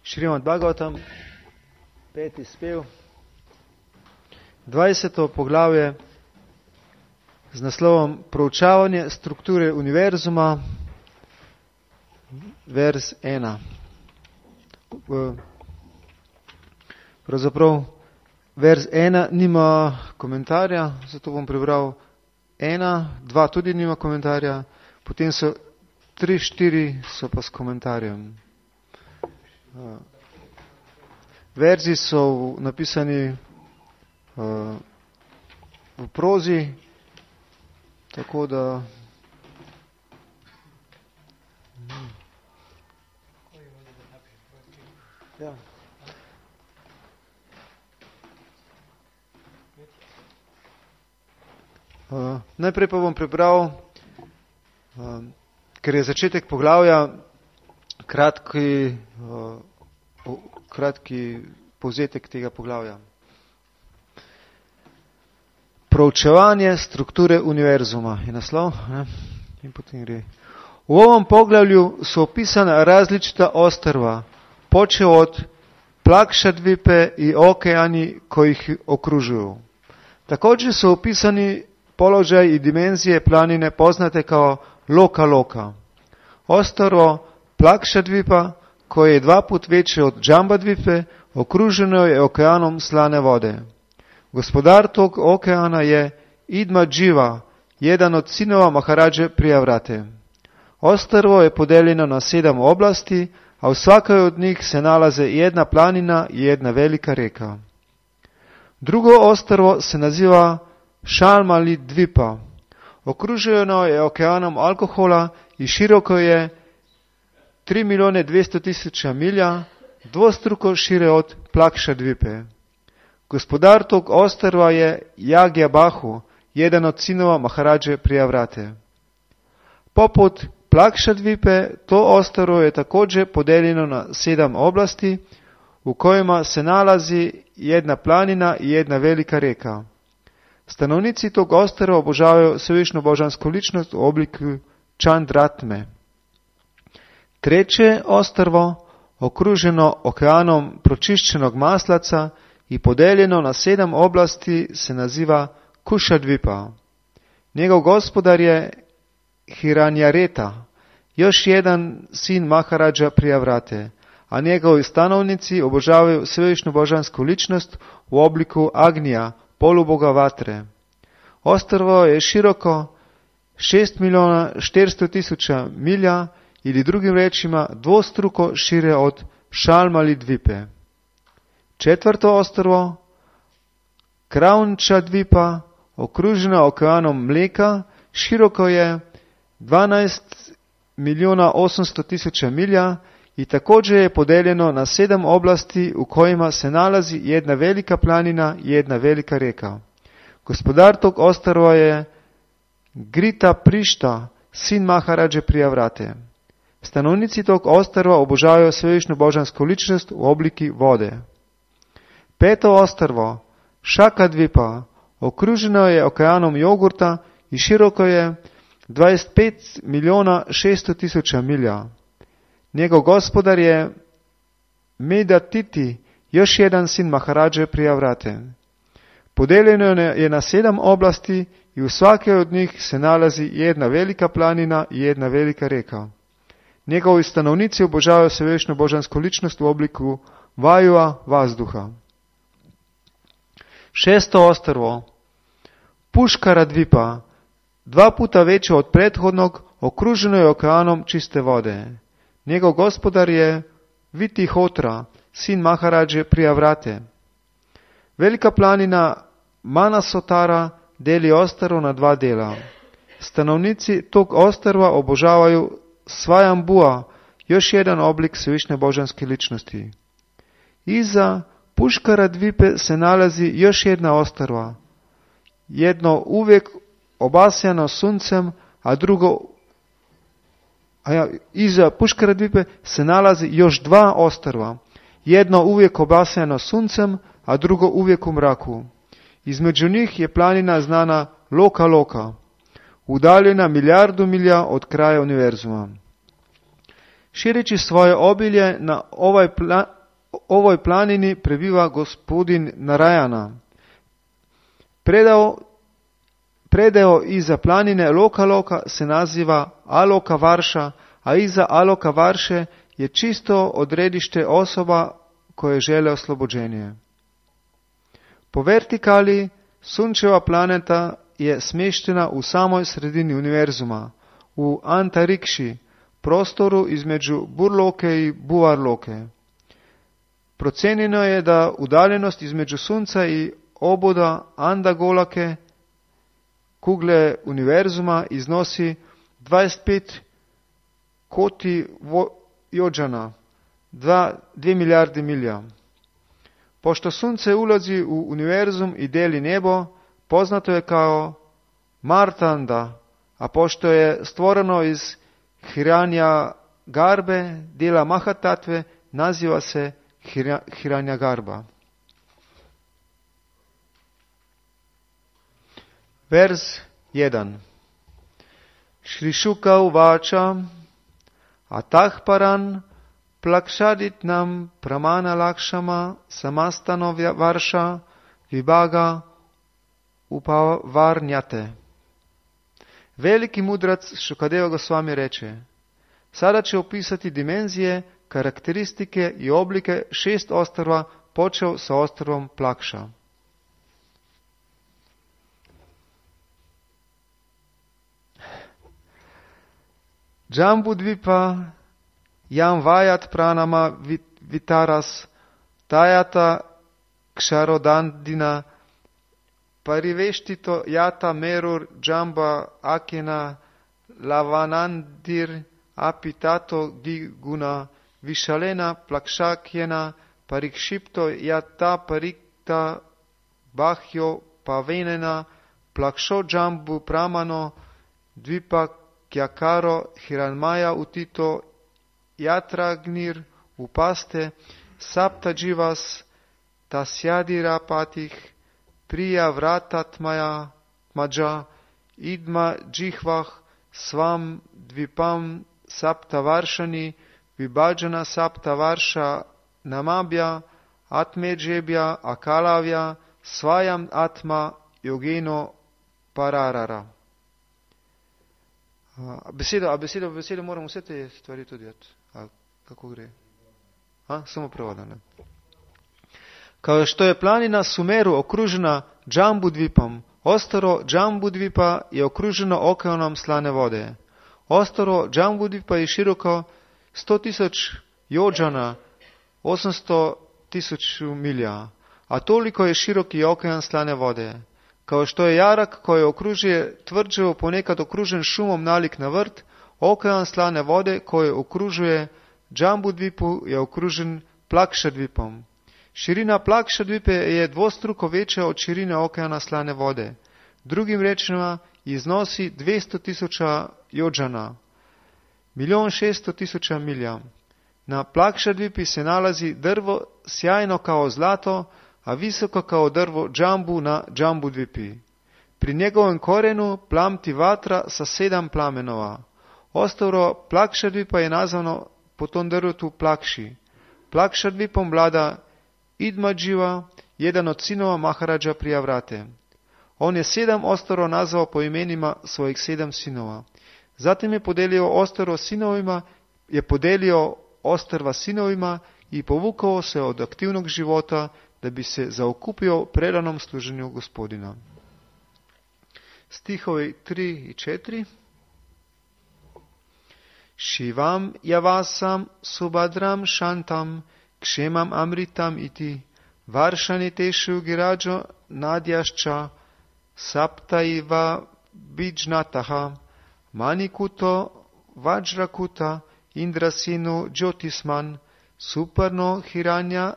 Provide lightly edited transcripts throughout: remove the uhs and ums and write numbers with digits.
Šrimad Bhagavatam, 5. spev, 20. poglavje z naslovom Proučavanje strukture univerzuma, vers 1. Pravzaprav vers 1 nima komentarja, zato bom prebral 1, 2 tudi nima komentarja, potem so 3, 4 so pa s komentarjem. Verzi so napisani v prozi, tako da ja. Najprej pa bom prebral, ker je začetek poglavja, kratki povzetek tega poglavja. Proučevanje strukture univerzuma je naslov, ne? In potem gre. U ovom poglavlju su opisana različita ostrva, počeo od Plakšadvipe i okeani koji ih okružuju. Također su opisani položaj i dimenzije planine poznate kao Loka Loka. Ostrvo Plakšadvipa, koje je 2 put veće od Džambadvipe, okruženo je okeanom slane vode. Gospodar tog okeana je Idmadživa, jedan od sinova Maharadže Prijavrate. Ostrvo je podeljeno na 7 oblasti, a u svakoj od njih se nalaze jedna planina i jedna velika reka. Drugo ostrvo se naziva Šalmali Dvipa. Okruženo je okeanom alkohola i široko je 3.200.000 milja, dvostruko šire od Plakšadvipe. Gospodar tog ostrva je Jagjabahu, jedan od sinova Maharadže Prijavrate. Poput Plakšadvipe, to ostrvo je također podeljeno na 7 oblasti, u kojima se nalazi jedna planina i jedna velika reka. Stanovnici tog ostrva obožavaju svevišnju božansku ličnost u obliku Čandratme. Treće ostrvo, okruženo okeanom pročišćenog maslaca i podeljeno na 7 oblasti, se naziva Kušadvipa. Njegov gospodar je Hiranjareta, još jedan sin Maharadža Prijavrate, a njegovi stanovnici obožavaju svevišnju božansku ličnost u obliku Agnija, poluboga vatre. Ostrvo je široko 6.400.000 milja, ili drugim rečima dvostruko šire od Šalmali Dvipe. Četvrto ostrvo, Kraunčadvipa, okruženo okeanom mleka, široko je 12.800.000 milja i također je podeljeno na 7 oblasti, u kojima se nalazi jedna velika planina i jedna velika reka. Gospodar tog ostrva je Grita Prišta, sin Maharadže Prijavrate. Stanovnici tog ostrva obožavaju svevišnju božansku ličnost u obliki vode. Peto ostrvo, Šakadvipa, okruženo je okeanom jogurta i široko je 25.600.000 milja. Njegov gospodar je Medatiti, još jedan sin Maharadže Prijavrate. Podeljeno je na 7 oblasti i u svake od njih se nalazi jedna velika planina i jedna velika reka. Njegovi stanovnici obožavaju svevišnju božansku ličnost u obliku Vajua, vazduha. Šesto ostrvo, Puškaradvipa, 2 puta veće od prethodnog, okruženo je okeanom čiste vode. Njegov gospodar je Vitihotra, sin Maharadže Prijavrate. Velika planina Manasotara deli ostrvo na 2 dela. Stanovnici tog ostrva obožavaju Svajambua, još jedan oblik svevišnje božanske ličnosti. Iza Puškaradvipe se nalazi još jedna ostrva. Jedno uvijek obasjano suncem, a drugo iza Puškaradvipe se nalazi još 2 ostrva. Jedno uvijek obasjano suncem, a drugo uvijek u mraku. Između njih je planina znana Loka Loka, udaljena 1.000.000 milja od kraja univerzuma. Šireći svoje obilje na ovoj planini prebiva gospodin Narayana. Predeo iza planine Loka se naziva Aloka Varša, a iza Aloka Varše je čisto odredište osoba koje žele oslobođenje. Po vertikali Sunčeva planeta je smještena u samoj sredini univerzuma, u Antarikši, prostoru između Burloke i Buvarloke. Procenjeno je da udaljenost između Sunca i oboda Andagolake, kugle univerzuma, iznosi 25 koti jođana, 2 milijarde milja. Pošto Sunce ulazi u univerzum i deli nebo, poznato je kao Martanda, a pošto je stvoreno iz Hiranja Garbe, dijela Mahatatve, naziva se Hiranja Garba. Vers 1. Shri Shuka uvača Atah paran plakshaditnam pramana lakshama samastano varša vibhaga upavarnjate. Veliki mudrac Šukadeva Gosvami reče: sada će opisati dimenzije, karakteristike i oblike 6 ostrva, počeo sa ostrvom Plakša. Jambudvipa jam vajat pranama vitaras tajata ksharodandina pariveštito jata merur jamba akena lavanandir apitato diguna vishalena plakshakjena parikshipto jata parikta bahjo pavenena plaksho jambu pramano dvipa kyakaro hiranmaya utito yatragnir upaste sapta jivas tasyadira patih priya vratatmaya maja idma jihvah svam dvipam sapta varšani vibhajana sapta varša namabhya atmejebhya akalavya svajam atma yogeno pararara. Besedo moramo vse te stvari tudi kako gre? Samo prevodane. Kao što je planina Sumeru okružena Džambudvipom, ostro Džambudvipa je okruženo okeanom slane vode. Ostro Džambudvipa je široko 100.000 jođana, 800.000 milja, a toliko je široki okean slane vode. Kao što je jarak koji okružuje tvrđavu ponekad okružen šumom nalik na vrt, okean slane vode koji okružuje Džambudvipu je okružen Plakšadvipom. Širina Plakšadvipe je dvostruko veća od širine okeana slane vode. Drugim rečima iznosi 200.000 jođana, 1.600.000 milja. Na Plakšadvipi se nalazi drvo sjajno kao zlato, a visoko kao drvo džambu na Džambudvipi. Pri njegovem korenu plamti vatra sa 7 plamenova. Ostrvo Plakšadvipa je nazvano po tom drvetu Plakši. Plakšadvipom vlada Idmadživa, jedan od sinova Maharađa Prijavrate. On je 7 ostrvo nazvao po imenima svojih 7 sinova. Zatim je podelio ostrva sinovima i povukao se od aktivnog života da bi se zaokupio predanom služenju Gospodina. Stihovi 3 i 4. Shivam javasam subhadram shantam kshemam amritam iti varshani teshu girajo nadyašča saptaiva bijnataha manikuto vajrakuta indrasinu jyotisman suparno hiranya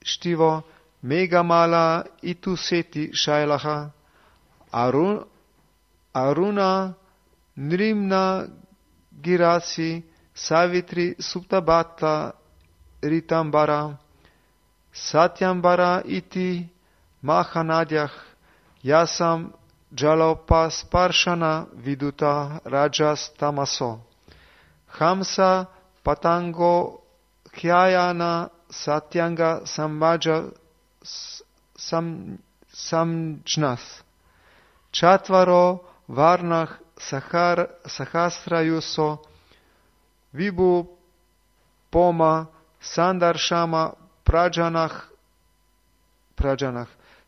štivo megamala ituseti shailaha aruna nrimna girasi savitri suptabata ritambara satyambara iti mahanadjah jasam jalopas parshana viduta rajas tamaso hamsa patango Khyayana Satyanga Samvaja Samjnas. Chatvaro Varnah Sahasrayuso Vibhu Poma Sandarshama Prajanah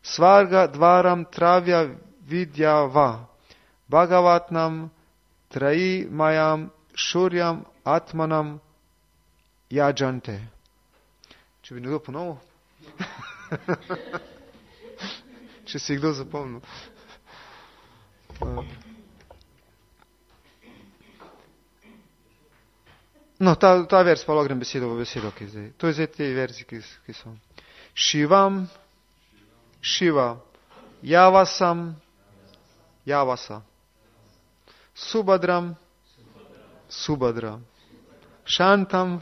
Svarga Dvaram Travya Vidyava Bhagavatnam Trayi Mayam Shuryam Atmanam Yajante. Če bi nekdo ponovil? Če si kdo zapomnil. No, ta vers pa lahko grem besedo v besedo, ki zdaj. To je zdaj te verzi, ki so. Shivam, Shiva, Javasam, Javasa, Subhadram, Subhadra, Shantam,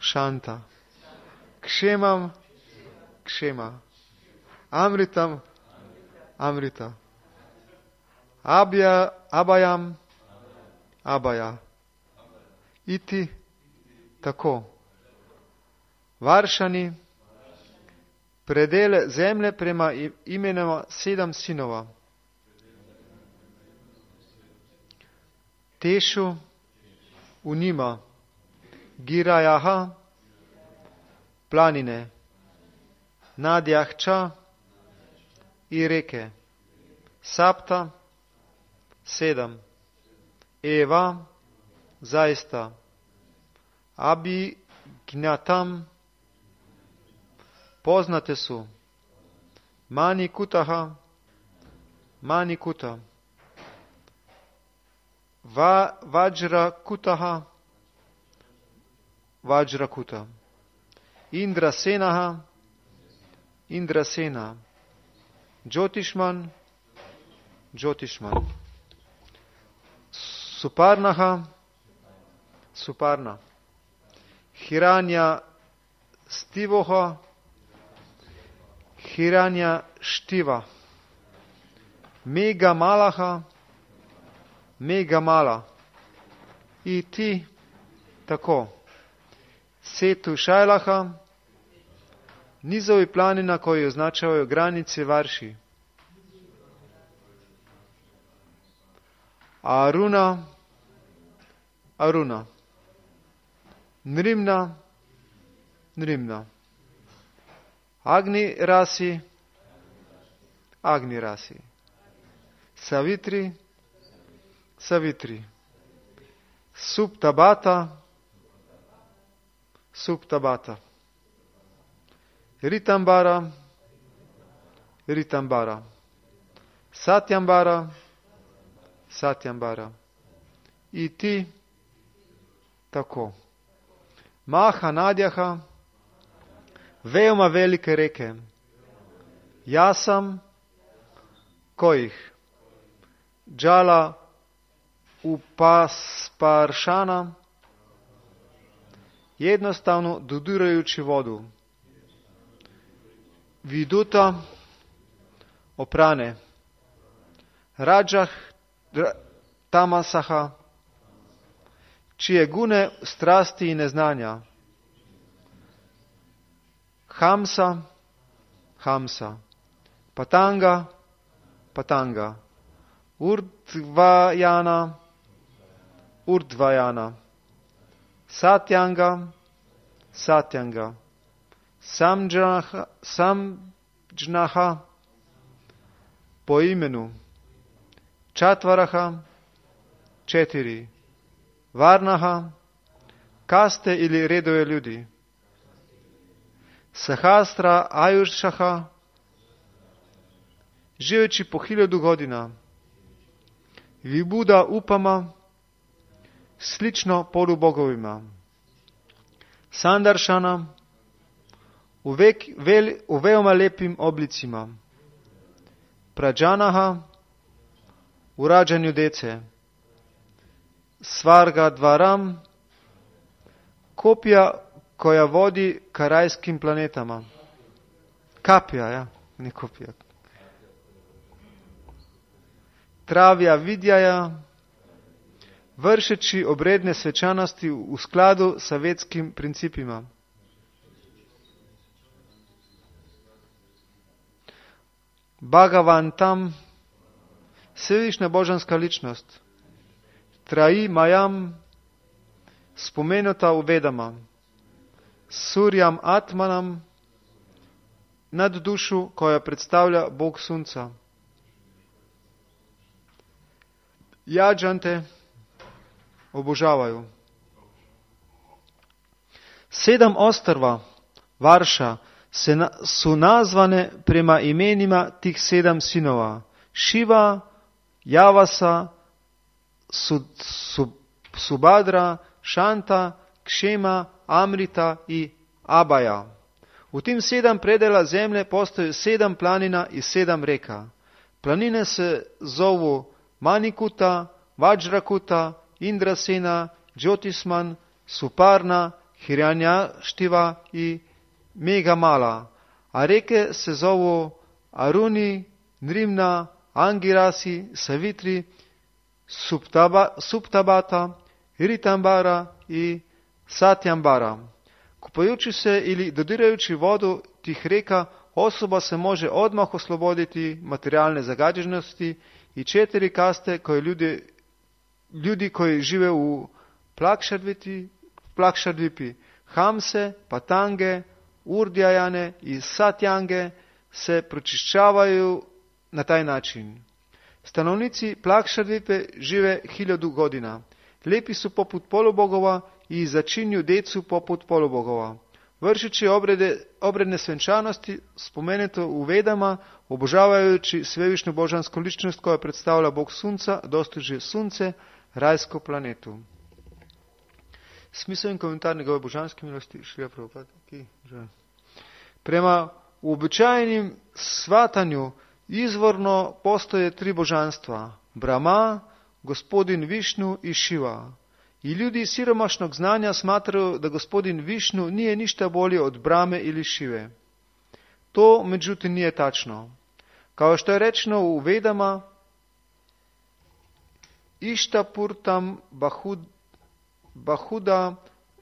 Shanta, Kshemam, Kshema, Amritam, Amrita, Abhayam, Abhaya, Iti, tako. Varšani, predele zemlje prema imenoma 7 sinova. Tešu, Unima, Girajaha, planine, Nadjahča i reke, Sapta, 7, Eva, zaista, Abhignatam, poznate su, Manikutaha, Manikuta, Vajrakutaha, Vajrakuta, Indrasenaha, Indrasena, Jyotishman, Jyotishman, Suparnaha, Suparna, Hiranya Stivoha, Hiranya Štiva, Megamalaha, Megamala, i ti, tako, Setu Šajlaha, nizovi planina koji označavaju granice Varši, Aruna, Aruna, Nrimna, Nrimna, Agni Rasi, Agni Rasi, Savitri, Savitri, Suptabata, Suptabata, Ritambara, Ritambara, Satyambara, Satyambara, i ti, tako. Maha Nadjaha, veoma velike reke, Jasam, kojih, Džala Upasparšana, jednostavno dodirajući vodu, Viduta, oprane, Rađah Tamasaha, čije gune strasti i neznanja, Hamsa, Hamsa, Patanga, Patanga, Urdvajana, Urdvajana, Satyanga, Satyanga, Samjnaha, po imenu, Čatvaraha, 4, Varnaha, kaste ili redove ljudi, Sahasra Ajušaha, živeći po 1000 godina, Vibuda Upama, slično polubogovima, Sandaršana, u veoma lepim oblicima, Prađanaha, u rađanju dece, Svarga Dvaram, kopija koja vodi ka rajskim planetama. Kapija, ja, ne kopija. Travja Vidjaja, vršeći obredne svečanosti v skladu sa vetskim principima. Bhagavantam, svevišnja božanska ličnost. Traji Majam, spomenuta v Vedama. Suryam Atmanam, nad dušu, koja predstavlja Bog Sunca. Jađante obožavaju. 7 ostrva Varša su nazvane prema imenima tih 7 sinova. Šiva, Javasa, Subhadra, Šanta, Kšema, Amrita i Abaja. U tim 7 predela zemlje postoji 7 planina i 7 reka. Planine se zovu Manikuta, Vajrakuta, Indrasena, Jyotisman, Suparna, Hiranyaštiva i Megamala. A reke se zovu Aruni, Nrimna, Angirasi, Savitri, Suptabata, Ritambara i Satyambara. Kupajući se ili dodirajući vodu tih reka, osoba se može odmah osloboditi materijalne zagađenosti i 4 kaste koje ljudi koji žive u Plakšadvipi, Hamse, Patange, Urdjajane i Satjange se pročišćavaju na taj način. Stanovnici Plakšadvipe žive 1000 godina. Lepi su poput polubogova i začinju decu poput polubogova. Vršeći obredne svenčanosti, spomenuto u Vedama, obožavajući svevišnju božansku ličnost koja predstavlja Bog Sunca, dostiže Sunce, rajsko planetu. Smisao in komentar njegove božanske milosti, Šrila Prabhupada. Prema uobičajenim shvatanju izvorno postoje 3 božanstva. Brahma, gospodin Višnu i Šiva. I ljudi siromašnog znanja smatraju da gospodin Višnu nije ništa bolji od Brahme ili Šive. To međutim nije tačno. Kao što je rečeno u Vedama, Ištapurtam Bahuda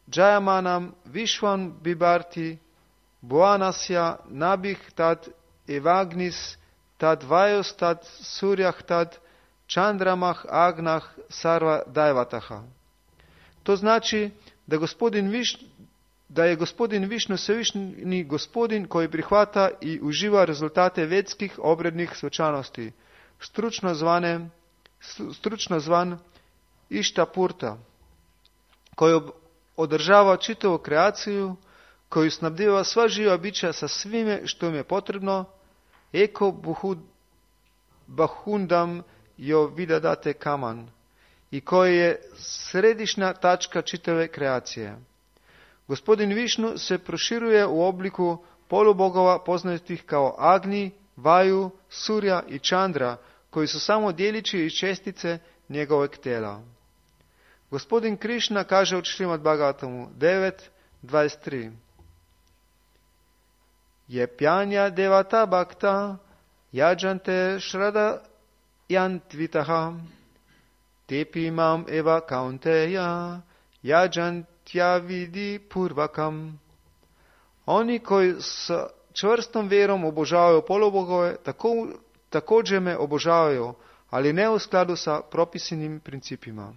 Jayamanam Vishwan Bibarti Bhuvanasya Nabih tad Evagnis tad Vajos tad Surjah tad Čandramah Agnah Sarva Dajvataha. To znači da je gospodin Višnu svevišnji gospodin koji prihvata i uživa rezultate vedskih obrednih svečanosti, stručno zvan Ištapurta, koji održava čitavu kreaciju, koji snabdeva sva živa bića sa svime što im je potrebno, eko bahundam jo vidadate kaman, i koji je središnja tačka čitave kreacije. Gospodin Višnu se proširuje u obliku polubogova poznatih kao Agni, Vaju, Surja i Čandra, koji su samo djelići i čestice njegovog tijela. Gospodin Krišna kaže u Šrimad Bhagavatamu 9.23: Jepjanja devata bhakta yajante šrada jantvitaha tepi imam eva kaunteja yajantya vidi purvakam. Oni koji s čvrstom vjerom obožavaju polubogove, također me obožavaju, ali ne u skladu sa propisanim principima.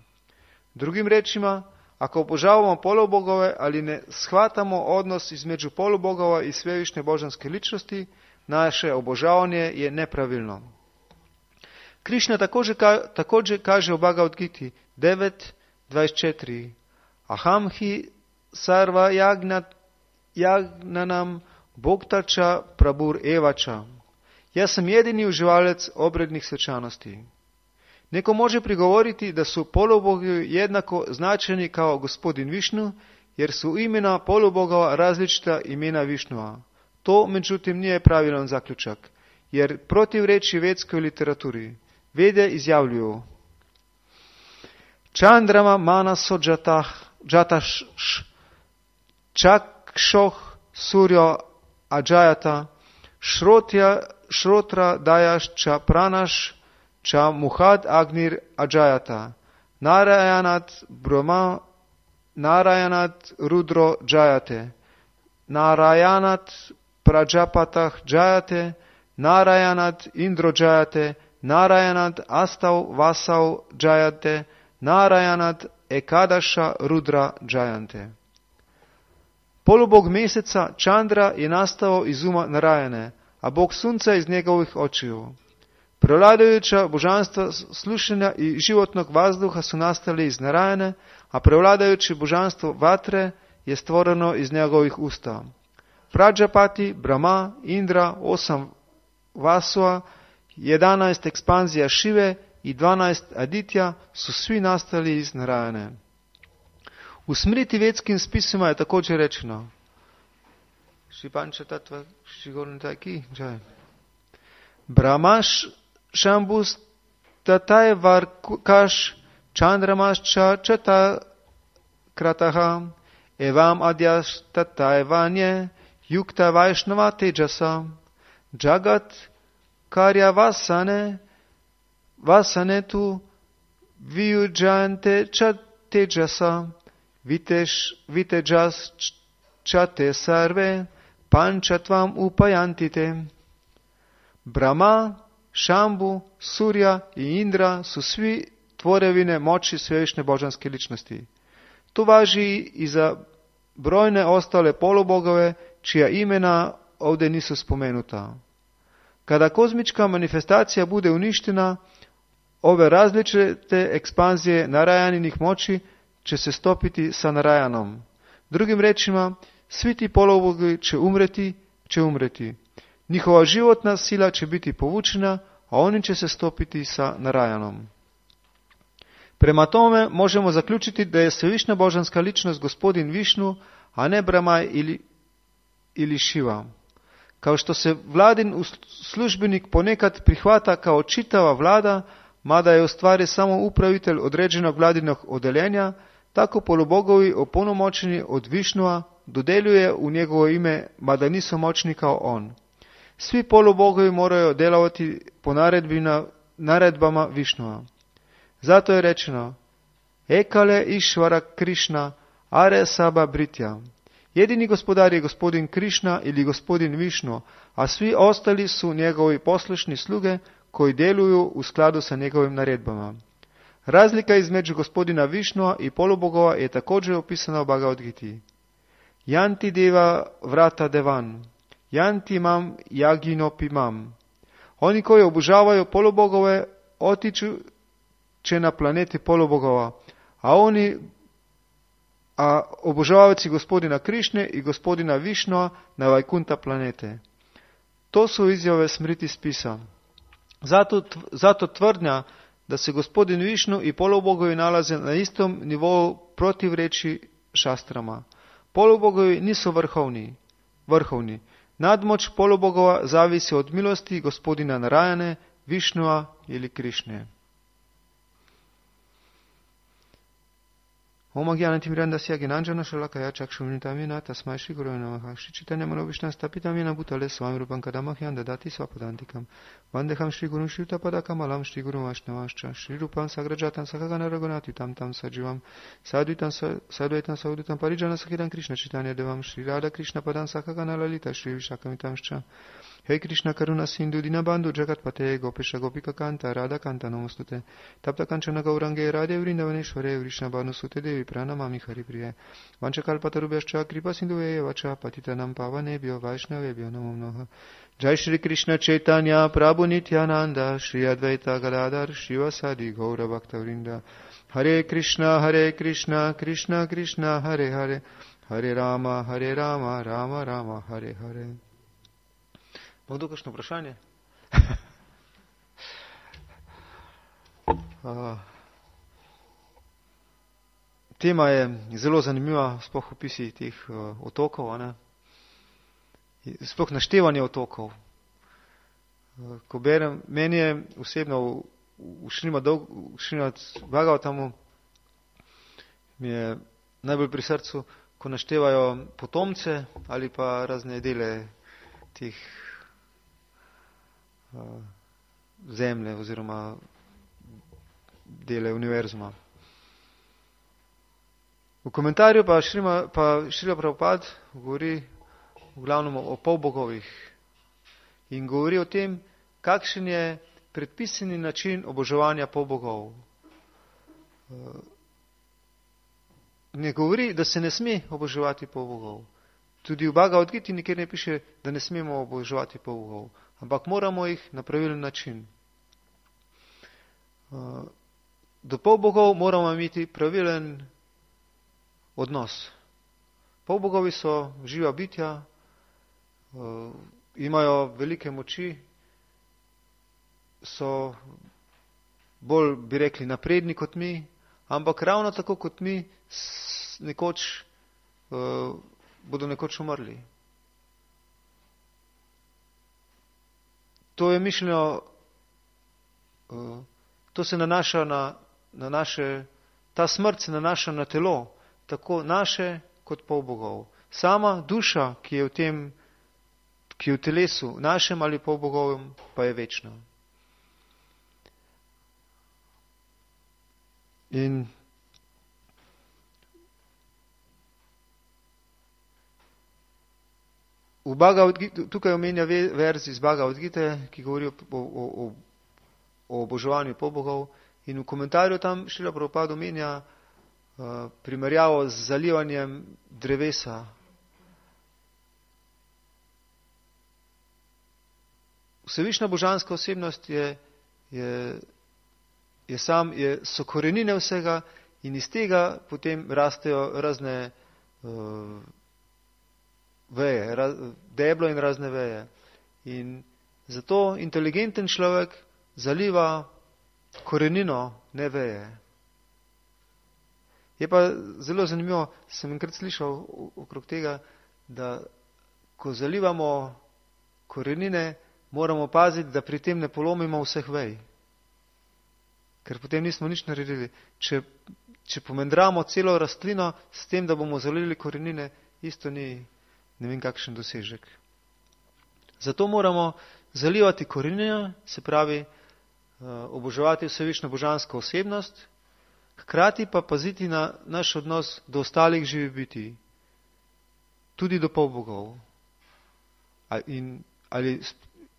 Drugim rečima, ako obožavamo polubogove, ali ne shvatamo odnos između polubogova i svevišnje božanske ličnosti, naše obožavanje je nepravilno. Krišna također kaže u Bhagavad Giti 9.24: Aham hi sarva jagnanam bhoktača prabhur evača. Ja sam jedini uživalec obrednih svečanosti. Neko može prigovoriti da su polubogi jednako značajni kao gospodin Višnu, jer su imena polubogova različita imena Višnua. To, međutim, nije pravilan zaključak, jer protivreči vedskoj literaturi. Vede izjavljuju: Čandrama manaso jataš čakšoh surjo ajayata šrotra dajaš ča pranaš ča muhad agnir ajayata Narayanat Brahma, Narayanat Rudro Jayate, Narayanat Prajapatah Jayate, Narayanat Indro Jayate, Narayanat Astav Vasav Jayate, Narayanat Ekadasha Rudra Jayante. Polubog meseca Čandra je nastao iz uma Narajane, a bog sunca iz njegovih očiju. Prevladajuća božanstva slušanja i životnog vazduha su nastali iz Narajane, a prevladajuće božanstvo vatre je stvoreno iz njegovih usta. Prajapati, Brahma, Indra, 8 Vasua, 11 ekspanzija Šive i 12 Aditya su svi nastali iz Narajane. U Smriti vedskim spisima je također rečeno Brahmaš Shambhus tatai varkash chandramascha chata krataha evam adyash tatai vanye yukta vaishnava tejasa jagat karya vasane tu viyujante cha tejasa vitejas chate sarve panchatvam upayantite. Brahma, Šambu, Surja i Indra su svi tvorevine moći svevišnje božanske ličnosti. To važi i za brojne ostale polubogove, čija imena ovdje nisu spomenuta. Kada kozmička manifestacija bude uništena, ove različite ekspanzije Narajaninih moći će se stopiti sa Narajanom. Drugim rečima, svi ti polubogovi će umreti. Njihova životna sila će biti povučena, a oni će se stopiti sa Narajanom. Prema tome možemo zaključiti da je svevišnja božanska ličnost gospodin Višnu, a ne Brahma ili Šiva. Kao što se vladin službenik ponekad prihvata kao čitava vlada, mada je u stvari samo upravitelj određenog vladinog odeljenja, tako polubogovi opunomoćeni od Višnua dodeljuje u njegovo ime, mada nisu moćni kao on. Svi polubogovi moraju djelovati po naredbama Višnua. Zato je rečeno Ekale Išvara Krišna Are Saba Britja. Jedini gospodar je gospodin Krišna ili gospodin Višnu, a svi ostali su njegovi poslušni sluge koji djeluju u skladu sa njegovim naredbama. Razlika između gospodina Višnua i polubogova je također opisana u Bhagavad Giti. Yanti deva vrata devan, yanti mam yaginopi mam. Oni koji obožavaju polubogove otiču će na planeti polubogova, a obožavajući gospodina Krišne i gospodina Višnua na Vajkunta planete. To su izjave Smriti spisa. Zato tvrdnja da se gospodin Višnu i polubogovi nalaze na istom nivou protivreči šastrama. Polubogovi nisu vrhovni. Nadmoć polubogova zavisi od milosti gospodina Narajane, Višnua ili Krišne. Om Agyanatimirandasya Gnanjana Shalakaya Chakshuntamina Tasmai Shri Gurave Namaha Shri Chaitanya Manobishna Stapitamina Bhutale Swami Rupam Kadamahyam Dadati Svapadantikam Vandeham Shri Gurun Shri Tapadakamalam Shri Gurun Vaishnavascha Shri Rupam Sagrajatan Sakagana Raghunathitam Tam Sajivam Sadhuitam Saudutam Parijana Sakhitam Krishna Chaitanya Devam Shri Radha Krishna Padam Sakagana Lalita Shri Vishakamitamscha Hey Krishna Karuna Sindhu Dinabandhu Jagatpate Gopesha Gopika Kanta Radha Kanta Namostute Tapta Kanchana Gaurange Radhe Vrindavaneshware Vrishna Bhanusute Devi Pranamami Haripriye Vanchakalpatarubhyascha Kripa Sindhuve Vacha Patitanam Pavanebhyo Vaishnavebhyo Namo Namaha Jai Shri Krishna Chaitanya Prabhu Nityananda Shri Advaita Gadadhar Shivasadi Gaura Bhaktavrinda Hare Krishna Krishna Krishna Hare Hare Hare Rama Rama Rama Hare Hare. Mogoče kakšno vprašanje? Tema je zelo zanimiva, sploh opisi teh otokov, sploh naštevanje otokov. Ko berem, meni je osebno v Šrimad Bhagavatamu mi je najbolj pri srcu, ko naštevajo potomce ali pa razne dele teh zemlje oziroma dele univerzuma. V komentarju pa Šrila Prabhupada govori v glavnem o polbogovih in govori o tem, kakšen je predpisani način oboževanja polbogov. Ne govori, da se ne sme oboževati polbogov. Tudi v Bhagavad Giti nikjer ne piše, da ne smemo oboževati polbogov, ampak moramo jih na pravilen način. Do polbogov moramo imeti pravilen odnos. Polbogovi so živa bitja, imajo velike moči, so bolj, bi rekli, napredni kot mi, ampak ravno tako kot mi bodo nekoč umrli. To je mišljeno, to se nanaša na naše, ta smrt se nanaša na telo, tako naše kot polbogov. Sama duša, ki je v telesu, našem ali polbogovem, pa je večna. In v Bhagavad Gita, tukaj omenja verz iz Bhagavad Gite, ki govori o oboževanju polbogov, in v komentarju tam Šrila Prabhupada omenja primerjavo z zalivanjem drevesa. Vsevišnja božanska osebnost so korenine vsega in iz tega potem rastejo razne veje, deblo in razne veje. In zato inteligenten človek zaliva korenino, ne veje. Je pa zelo zanimivo, sem enkrat slišal okrog tega, da ko zalivamo korenine, moramo paziti, da pri tem ne polomimo vseh vej. Ker potem nismo nič naredili. Če pomendramo celo rastlino s tem, da bomo zalili korenine, isto ni ne vem kakšen dosežek. Zato moramo zalivati korenine, se pravi oboževati vsevično božansko osebnost, hkrati pa paziti na naš odnos do ostalih živih bitij, tudi do polbogov. Ali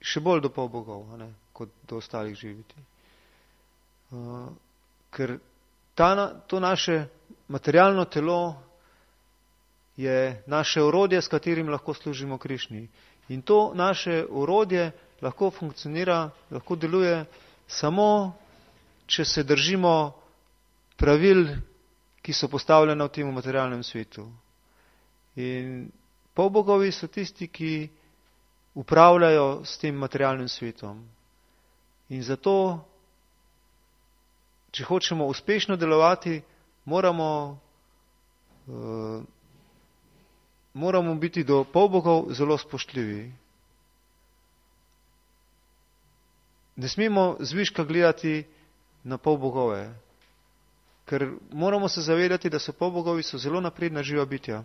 še bolj do polbogov, kot do ostalih živih bitij. Ker to naše materialno telo je naše orodje, s katerim lahko služimo Krišni. In to naše orodje lahko funkcionira, lahko deluje samo, če se držimo pravil, ki so postavljena v tem materialnem svetu. In polbogovi so tisti, ki upravljajo s tem materialnim svetom. In zato, če hočemo uspešno delovati, moramo biti do polbogov zelo spoštljivi. Ne smemo zviška gledati na polbogove, ker moramo se zavedati, da so polbogovi zelo napredna živa bitja.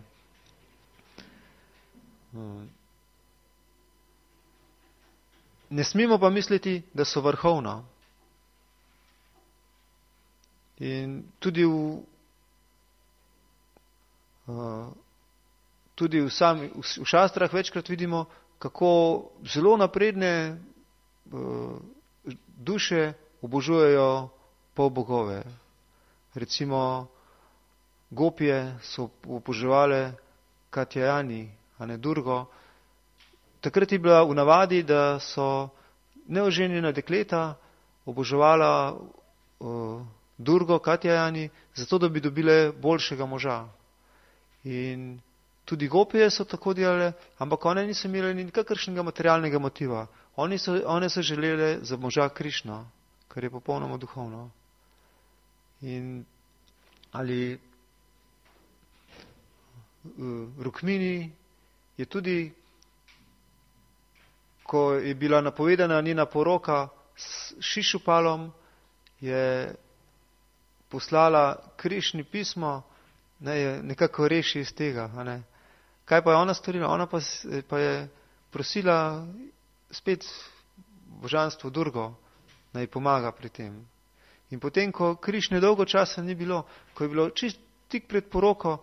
Ne smemo pa misliti, da so vrhovna. In tudi v šastrah večkrat vidimo, kako zelo napredne duše obožujejo polbogove. Recimo gopije so oboževale Katyayani, a ne Durgo. Takrat je bila v navadi, da so neoženjena dekleta oboževala Durgo, Katyayani, zato da bi dobile boljšega moža. In tudi gopije so tako delale, ampak one niso imele nikakršnega materialnega motiva. One so želele za moža Krišno, kar je popolnoma duhovno. In ali Rukmini je tudi, ko je bila napovedana njena poroka s Šišupalom, je poslala Krišni pismo, je nekako reši iz tega. Kaj pa je ona storila? Ona pa je prosila spet božanstvo Durgo, naj pomaga pri tem. In potem, ko Krišne dolgo časa ni bilo, ko je bilo tik pred poroko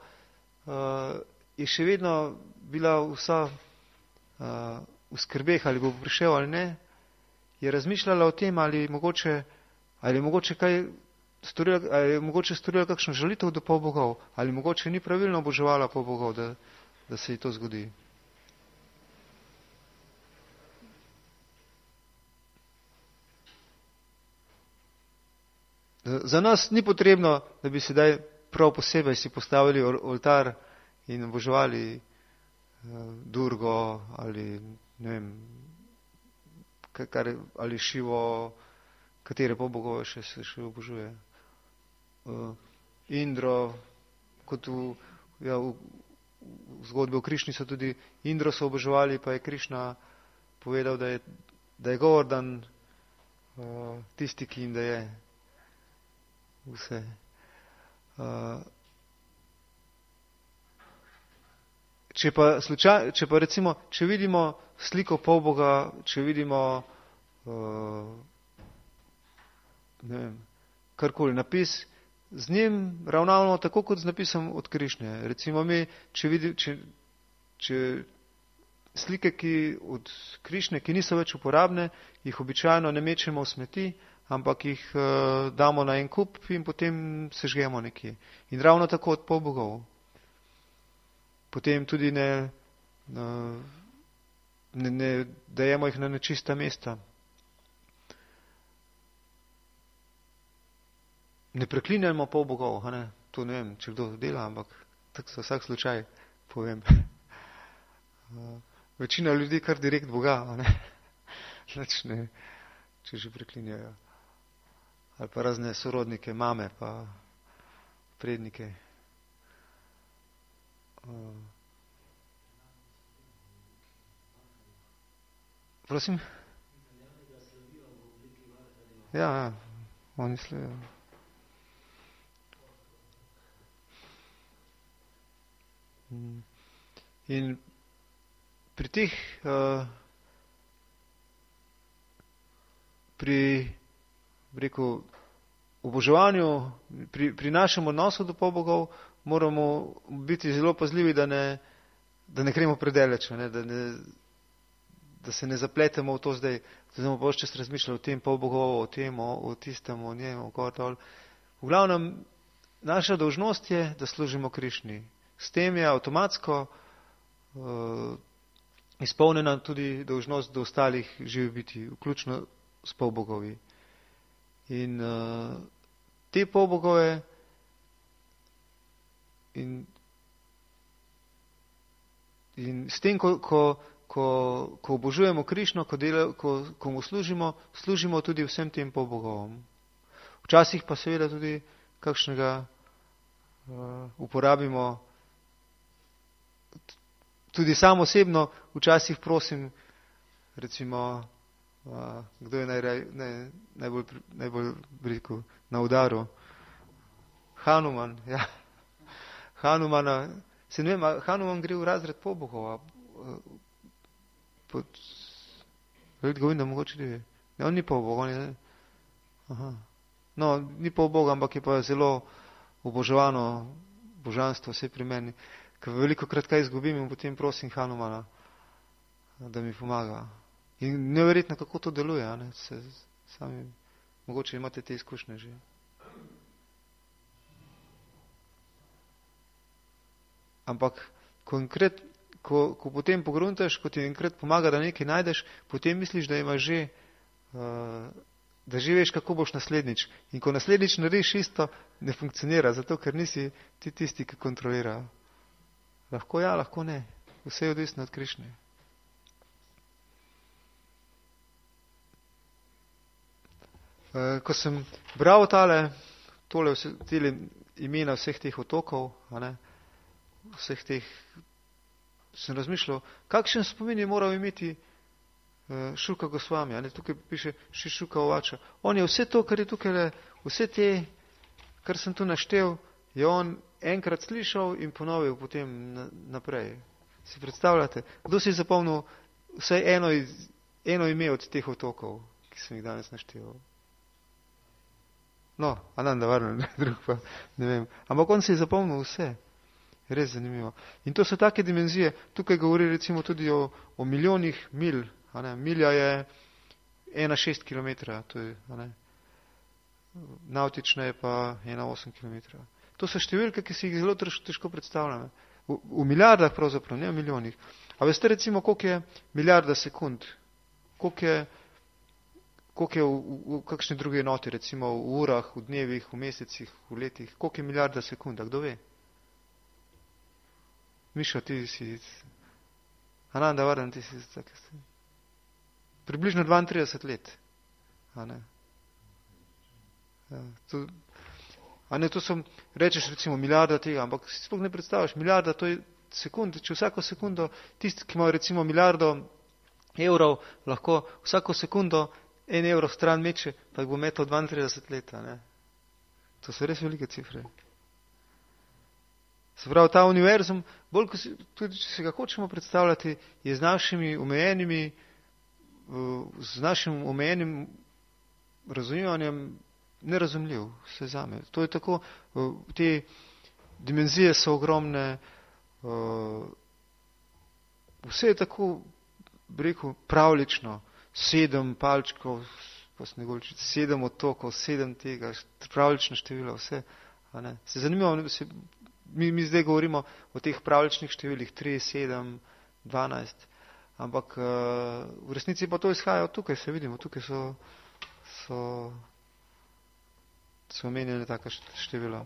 je še vedno bila vsa v skrbeh, ali bo prišel ali ne, je razmišljala o tem, ali je mogoče kaj storila, ali je mogoče storila kakšno žalitev do polbogov, ali mogoče ni pravilno oboževala polbogov, da se ji to zgodi. Za nas ni potrebno, da bi sedaj prav posebej si postavili oltar in oboževali Durgo ali ne vem, ali Šivo, katere polbogove še obožuje. Indro, kot v zgodbi o Krišni so tudi Indro so oboževali, pa je Krišna povedal, da je Govardhan tisti, ki jim da je vse. Če pa recimo, če vidimo sliko polboga, če vidimo ne vem, karkoli, napis, z njim ravnamo tako, kot z napisom od Krišnje. Recimo mi, če slike od Krišnje, ki niso več uporabne, jih običajno ne mečemo v smeti, ampak jih damo na en kup in potem sežgemo nekje. In ravno tako od polbogov. Potem tudi ne dajemo jih na nečista mesta. Ne preklinjamo polbogov, to ne vem, če kdo dela, ampak tako za vsak slučaj povem. Večina ljudi kar direkt Boga, ne, če že preklinjajo. Ali pa razne sorodnike, mame, pa prednike. Prosim? Ja, oni slavijo. In pri teh rekel, oboževanju, pri našem odnosu do polbogov moramo biti zelo pazljivi, da ne gremo predaleč, da se ne zapletemo v to zdaj, da bomo pa čas razmišljali o tem polbogov, o tem, o tistem, o njem, o gotol. V glavnem, naša dolžnost je, da služimo Krišni. S tem je avtomatsko izpolnjena tudi dolžnost do ostalih živih biti, vključno s polbogovi. In te polbogove in s tem, ko obožujemo Krišno, ko mu služimo tudi vsem tem polbogovom. Včasih pa seveda tudi kakšnega uporabimo. Tudi sam osebno včasih prosim, recimo, kdo je najbolj rekel, na udaru? Hanuman, ja. Hanumana, se ne vem, Hanuman gre v razred polbogov, govorim, da mogoče ne. Ne, on ni polbog, on je, no, ni polbog, ampak je pa zelo oboževano božanstvo, vse pri meni. Ker veliko krat kaj izgubim in potem prosim Hanumana, da mi pomaga. In neverjetno, kako to deluje, sami, mogoče imate te izkušnje že. Ampak, ko potem pogruntaš, ko ti enkrat pomaga, da nekaj najdeš, potem misliš, da imaš že, da že veš, kako boš naslednjič. In ko naslednjič narediš isto, ne funkcionira, zato ker nisi ti tisti, ki kontrolira. Lahko ja, lahko ne. Vse je odvisno od Krišne. Ko sem bral tole imena vseh teh otokov, vseh teh, sem razmišljal, kakšen spomin je moral imeti Šuka Gosvami. Tukaj piše Šuka Ovača. On je vse to, kar je tukaj, vse te, kar sem tu naštel, je on enkrat slišal in ponovil potem naprej. Si predstavljate? Kdo si zapomnil vsaj eno ime od teh otokov, ki sem jih danes naštel? No, Ananda Varman, drug pa, ne vem. Ampak on se je zapomnil vse. Res zanimivo. In to so take dimenzije. Tukaj govori recimo tudi o milijonih mil. Milja je 1,6 km. To je, nautična je pa 1,8 km. To so številke, ki si jih zelo težko predstavljamo. V milijardah pravzaprav, ne v milijonih. A veste recimo, koliko je milijarda sekund? Koliko je v kakšni drugi enoti, recimo v urah, v dnevih, v mesecih, v letih? Koliko je milijarda sekund? Kdo ve? Mišo, ti si... Ananda Vardan, ti si... Približno 32 let. To so, rečeš recimo milijarda tega, ampak si sploh ne predstavljaš, milijarda to je sekund, če vsako sekundo, tisti, ki imajo recimo milijardo evrov, lahko vsako sekundo 1 evro stran meče, pa jih bo metal 32 let. To so res velike cifre. Se pravi, ta univerzum, bolj kot tudi če se ga hočemo predstavljati, je z našim omejenim razumevanjem nerazumljiv, vse zame. To je tako, te dimenzije so ogromne, vse je tako, bi rekel, pravlično, 7 palčkov, 7 otokov, 7 tega, pravlično število, vse. Se zanimivo, mi zdaj govorimo o teh pravličnih številih, 3, 7, 12, ampak v resnici pa to izhaja od tukaj, se vidimo, tukaj so omenjene taka števila.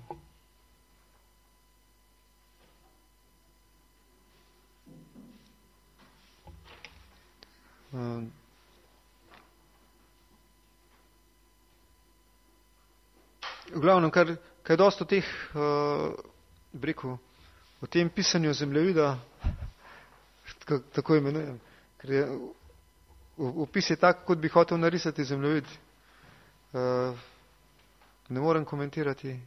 V glavnem, kar je dosto teh, o tem pisanju zemljevida, tako imenujem, ker je opis je tak, kot bi hotel narisati zemljevid. Ne morem komentirati.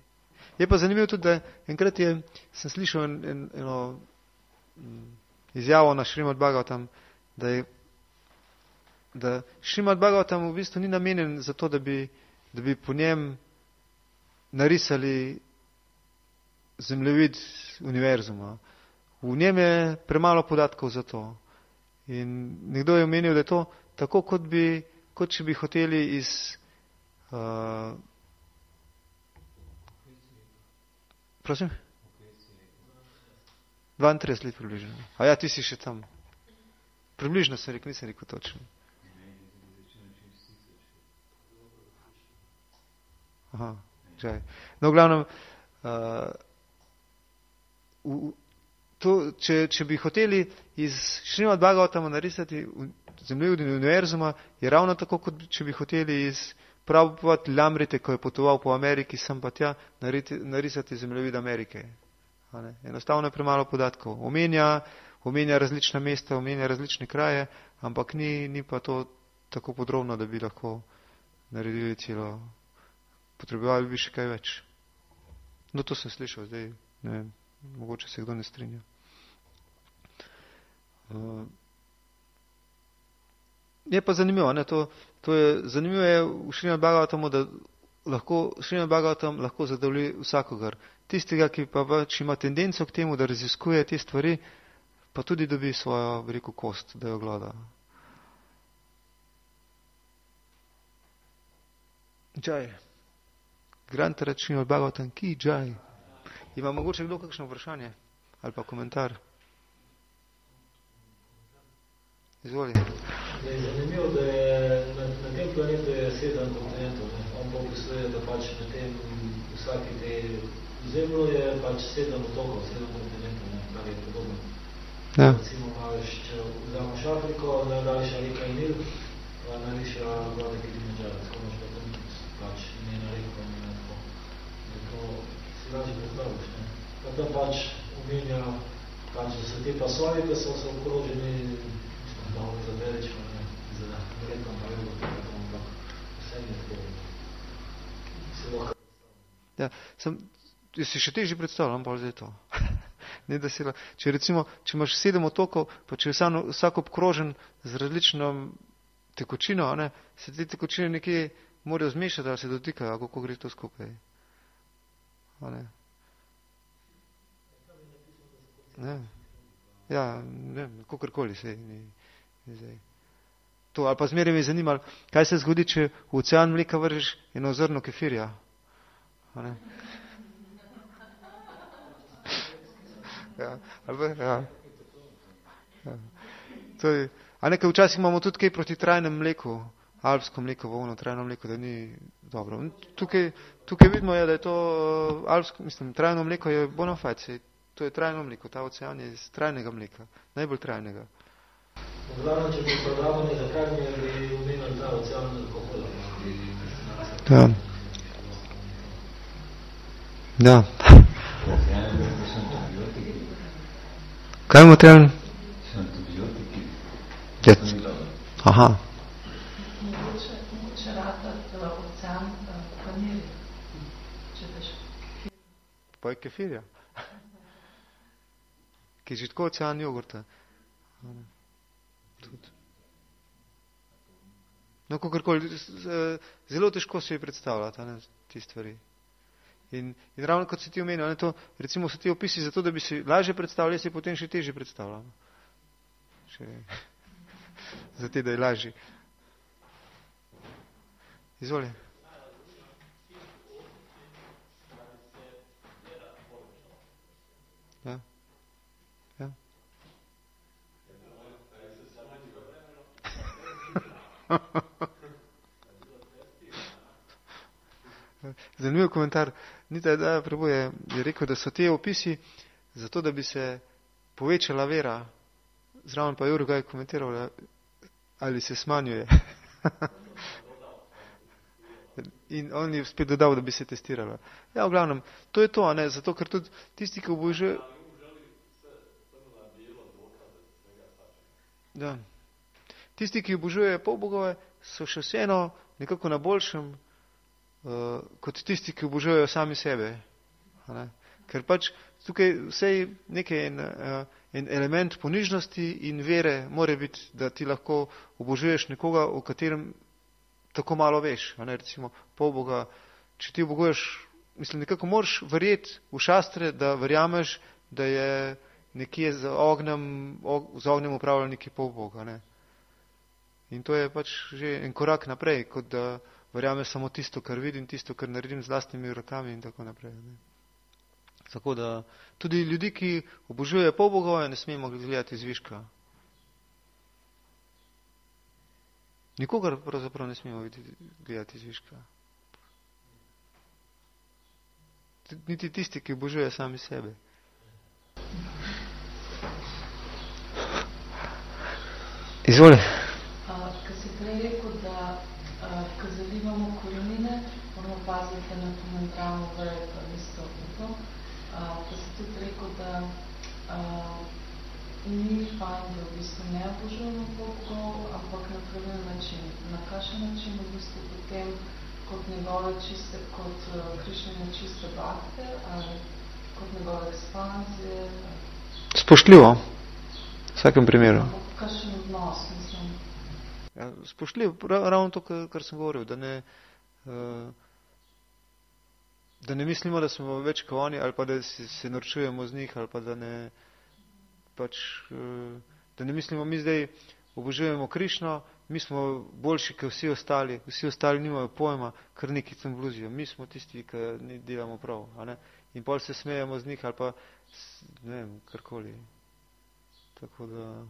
Je pa zanimivo tudi, da enkrat sem slišal eno izjavo na Šrimad Bhagavatam, da Šrimad Bhagavatam v bistvu ni namenjen za to, da bi po njem narisali zemljevid univerzuma. V njem je premalo podatkov za to. In nekdo je omenil, da je to tako, kot če bi hoteli iz... 32 let približno. A ja, ti si še tam. Približno sem rekel, nisem rekel točno. Aha, čaj. No, v glavnem, če bi hoteli iz Šrimad Bhagavatama narisati zemljevid univerzuma, je ravno tako, kot če bi hoteli iz Prabhupada Lamrite, ko je potoval po Ameriki, sem pa tja narisati zemljevid Amerike. Enostavno je premalo podatkov. Omenja različna mesta, omenja različne kraje, ampak ni pa to tako podrobno, da bi lahko naredili celo. Potrebovali bi še kaj več. No, to sem slišal zdaj, ne vem, mogoče se kdo ne strinja. Je pa zanimivo, zanimivo je v Šrimad Bhagavatamu, da Šrimad Bhagavatam lahko zadovolji vsakogar. Tistega, ki pa pač ima tendenco k temu, da raziskuje te stvari, pa tudi dobi svojo, bi rekel, kost, da jo gleda. Džaj. Granta Šrimad Bhagavatam ki džaj. Ima mogoče kdo kakšno vprašanje ali pa komentar? Izvoli. Je zanimivo, da je na tem planetu je 7 kontinentov. On pa opisuje, da pač na tem vsaki te zemljo je pač 7 otokov, 7 kontinentov, kar je podobno. Ja. Recimo, če vzameš Afriko, najdaljša reka je Nil, najvišja voda Kilimanjaro, tako imaš pa tam pač njena reka, njena tako. To si lažje predstavljaš, ne? Pa tam pač omenja, pač, da so te pasovi, ki so okroženi malo zadelično, ne, za rekom pa je ampak vse je tako. Se lahko predstavljam. Ja, jaz si še težje predstavljam, pa zdaj to. Ne, da si če imaš 7 otokov, pa če je vsak obkrožen z različno tekočino, ne, se te tekočine nekje morajo zmešati, ali se dotikajo, kako gre to skupaj. Ne. Ne. Ja, ne, kakorkoli se ni zdaj. To, ali pa zmeraj me je zanimalo, kaj se zgodi, če v ocean mleka vržeš eno zrno kefirja. Ne. Ja, ali ja. Ja. To je, a nekaj včasih imamo tudi kaj proti trajnem mleku, alpsko mleko, volno trajno mleko, da ni dobro. Tukaj vidimo, da je to alpsko, trajno mleko je bona fide, to je trajno mleko, ta ocean je iz trajnega mleka, najbolj trajnega. Glavno, če bi prodavali za krajnje, bi umenili ta ocean alkohola. Ja. Ja. Kaj je materialno? Aha. Mogoče ratati ocean panir, če veš. Pa je kefirja. Ki je že tako ocean jogurta. No, kakorkoli, zelo težko se je predstavljati, ti stvari. In ravno kot si ti omenil, to, recimo so ti opisi zato, da bi si lažje predstavljali, si potem še težje predstavljali. Zato, da je lažje. Izvoli. Ja. Ja. Zanimiv komentar. Nita da Preboje je rekel, da so te opisi zato, da bi se povečala vera. Zraven pa Jurga je komentiral, ali se smanjuje. In on je spet dodal, da bi se testirala. Ja, v glavnem, to je to, ne? Zato, ker tudi tisti, ki obožuje... Da. Tisti, ki obožujejo polbogove, so še vseeno nekako na boljšem, kot tisti, ki obožujejo sami sebe. Ne? Ker pač tukaj vsej nekaj en element ponižnosti in vere mora biti, da ti lahko obožuješ nekoga, o katerem tako malo veš. Ne? Recimo polboga, če ti oboguješ, nekako moraš verjeti v šastre, da verjameš, da je nekje z ognjem upravljal neki polboga. Ne? In to je pač že en korak naprej, kot da verjameš samo tisto, kar vidim, tisto, kar naredim z lastnimi rokami in tako naprej. Ne? Tako da tudi ljudi, ki obožujejo polbogove, ne smemo gledati zviška. Nikogar pravzaprav ne smemo gledati zviška. Niti tisti, ki obožujejo sami sebe. Izvoli. Ko si prej rekel, da ko zalivamo korenine, moramo paziti na komentarno vejo, pa isto to. Pa si tudi rekel, da ni fajn, da v bistvu ne obožujemo polbogov, ampak na pravilen način. Na kakšen način v bistvu potem kot njegove čiste, kot Krišnine čiste bakte, ali kot njegove ekspanzije? Spoštljivo. V vsakem primeru. Kakšen odnos, mislim? Ja, spoštljivo, ravno to, kar sem govoril, da ne mislimo, da smo več kot oni, ali pa da se norčujemo z njih, ali pa da ne mislimo, mi zdaj obožujemo Krišno, mi smo boljši kot vsi ostali nimajo pojma, kar neki tam bluzijo. Mi smo tisti, ki ne delamo prav. A ne? In pol se smejemo z njih, ali pa ne vem, karkoli. Tako da...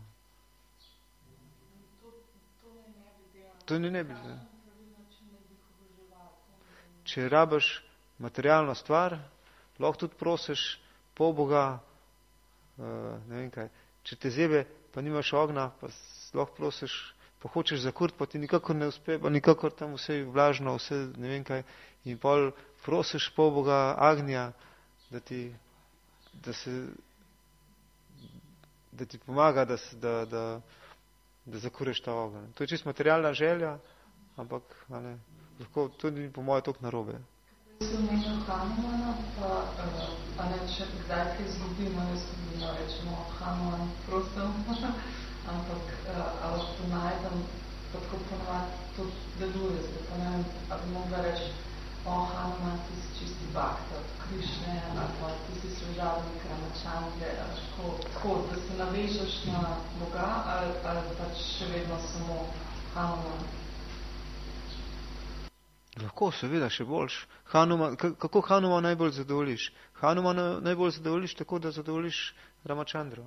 To ne bi. Ne. Če rabaš materialno stvar, lahko tudi prosiš polboga, ne vem kaj. Če te zebe, pa nimaš ogna, pa lahko prosiš, pa hočeš zakurt, pa ti nikakor ne uspe, pa nikakor tam vse vlažno, vse ne vem kaj. In pol prosiš polboga Agnija, da ti pomaga, da zakureš ta ogenj. To je čisto materialna želja, ampak lahko tudi po moje toliko narobe. Se omenil Hanumana, pa ne, če kdaj kaj izgubimo, jaz tudi rečemo Hanuman prostel, ampak ali to najdem, pa tako ponovati to deluje, zdaj pa ne vem, ali vežeš na Boga ali pač še vedno samo Hanuman? Lahko, seveda, še boljš. Kako Hanuman najbolj zadovoljiš? Hanuman najbolj zadovoljiš tako, da zadovoljiš Ramachandra.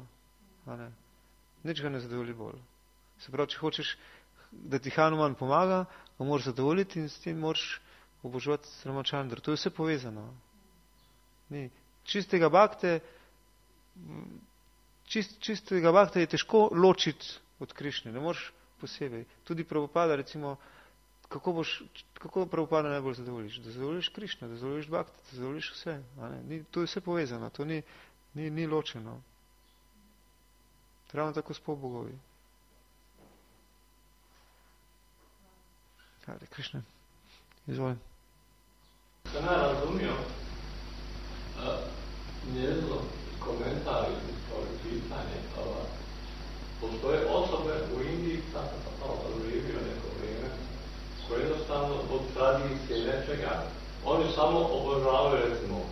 Nič ga ne zadovolji bolj. Se pravi, če hočeš, da ti Hanuman pomaga, ga moraš zadovoljiti in s tem moraš obožovati Ramachandra. To je vse povezano. Čistega bhakte je težko ločiti od Krišne. Ne moreš posebej. Tudi Prabhupada, recimo, kako Prabhupada najbolj zadovoljiš? Da zadovoljiš Krišno, da zadovoljiš bhakte, da zadovoljiš vse. To je vse povezano. To ni ločeno. Ravno tako s polbogovi. Hvala, Krišna. Izvolj. Sam ja razumio njezno komentar ili pitanje. Postoje osobe u Indiji, tako sam živio neko vrijeme, koje jednostavno od tradicije nečega, oni samo obožavaju, recimo,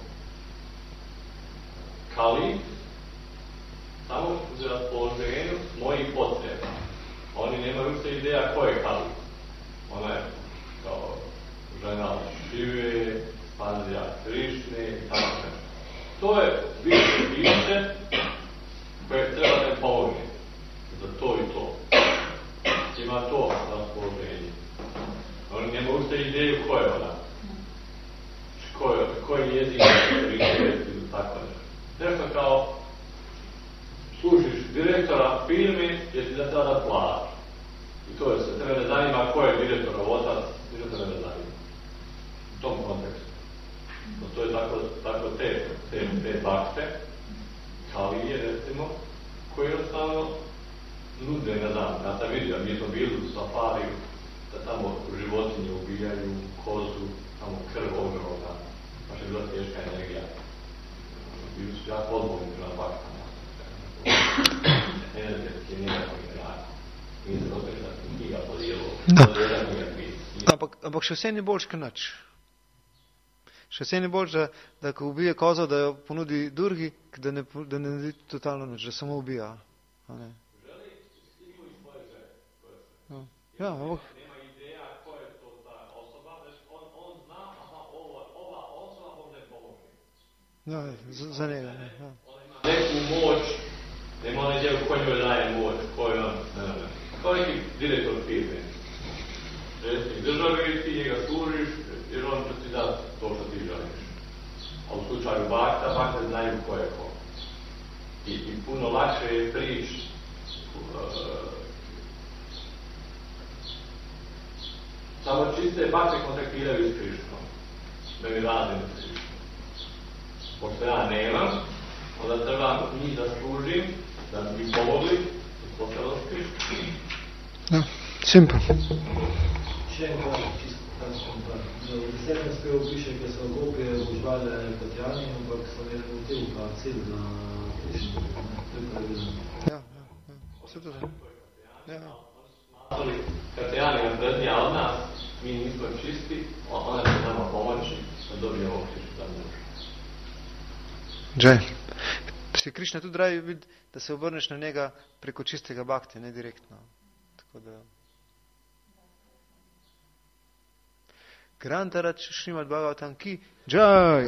Kali, samo u raspoloženju mojih potreba. Oni nemaju se ideja ko je Kali. Ona je kao žena Šive, Pandija Krišne i tako nešto. To je više koje treba da pomoći za to i to. Ima to raspoloženje. Oni ne mogu se ideju ko je ona. Ko je jezik ili tako nešto. Nešto kao služiš direktora firme jer ti da tada plaća. I to je se. Tebe ne zanima ko je direktorov otac, ništa tebe ne zanima. U tom kontekstu. To je tako te bakte, Kalije recimo, koje jednostavno nude, ne znam, ja sam vidio, mi smo bili u safariju, da tamo životinje ubijaju, kozu, tamo krv ogromna, baš je bila teška energija. Bili su jako odgovorni na baktama. Energetski, nekako generalno. Nije se dotekla knjiga podijelo. Ampak še vse ni boljš kot nič. Še vse ni boljš, da ko ubije kozo, da jo ponudi Durgi, da ne naredi totalno nič, da samo ubija. Želi stignu iz svoje želje. Ja, ampak... Nema ideja ko je to ta osoba, već on zna, aha, ova osoba može pomoći. Ja, za njega. Ja. On ima neku moć, nema onaj djel ko njoj daje moć, ko je on, ne. Kao neki direktor firme. Predsjednik države, ti njega služiš, jer on će ti dati to što ti želiš. A u slučaju bakte znaju ko je ko. I puno lakše je prići samo čiste bakte kontaktiraju s Krišnom. Da mi radim s Krišnom. Pošto ja nemam, onda treba njih da služim, da mi pomogli i postalo s Krišnom. Ja, simple. Še enkrat, čisto takšen par. V 10. spevu piše, da so gopje obožvale Katjani, ampak so ne hotel pa cilj na Krišno. To je pravilno. Ja. Vse to znam. Ja. Katjani je vrednija od nas, mi nismo čisti, ona će nama pomoći da dobijemo Krišnu za muž. Džaj. Si Krišna tudi raji vidi, da se obrneš na njega preko čistega bhakti, ne direktno. Tako da... Grantarač Šrimad Bhagavatam ki Jai.